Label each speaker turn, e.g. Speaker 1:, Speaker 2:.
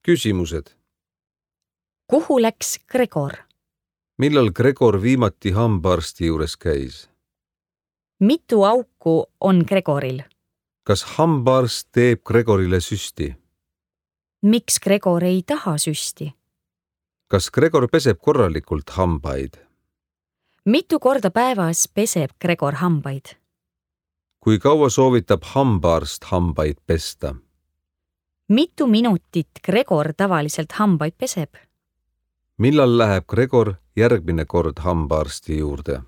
Speaker 1: Küsimused.
Speaker 2: Kuhu läks Gregor?
Speaker 1: Millal Gregor viimati hambaarsti juures käis?
Speaker 2: Mitu auku on Gregoril?
Speaker 1: Kas hambaarst teeb Gregorile süsti?
Speaker 2: Miks Gregor ei taha süsti?
Speaker 1: Kas Gregor peseb korralikult hambaid?
Speaker 2: Mitu korda päevas peseb Gregor hambaid?
Speaker 1: Kui kaua soovitab hambaarst hambaid pesta?
Speaker 2: Mitu minutit Gregor tavaliselt hambaid peseb?
Speaker 1: Millal läheb Gregor järgmine kord hambaarsti juurde?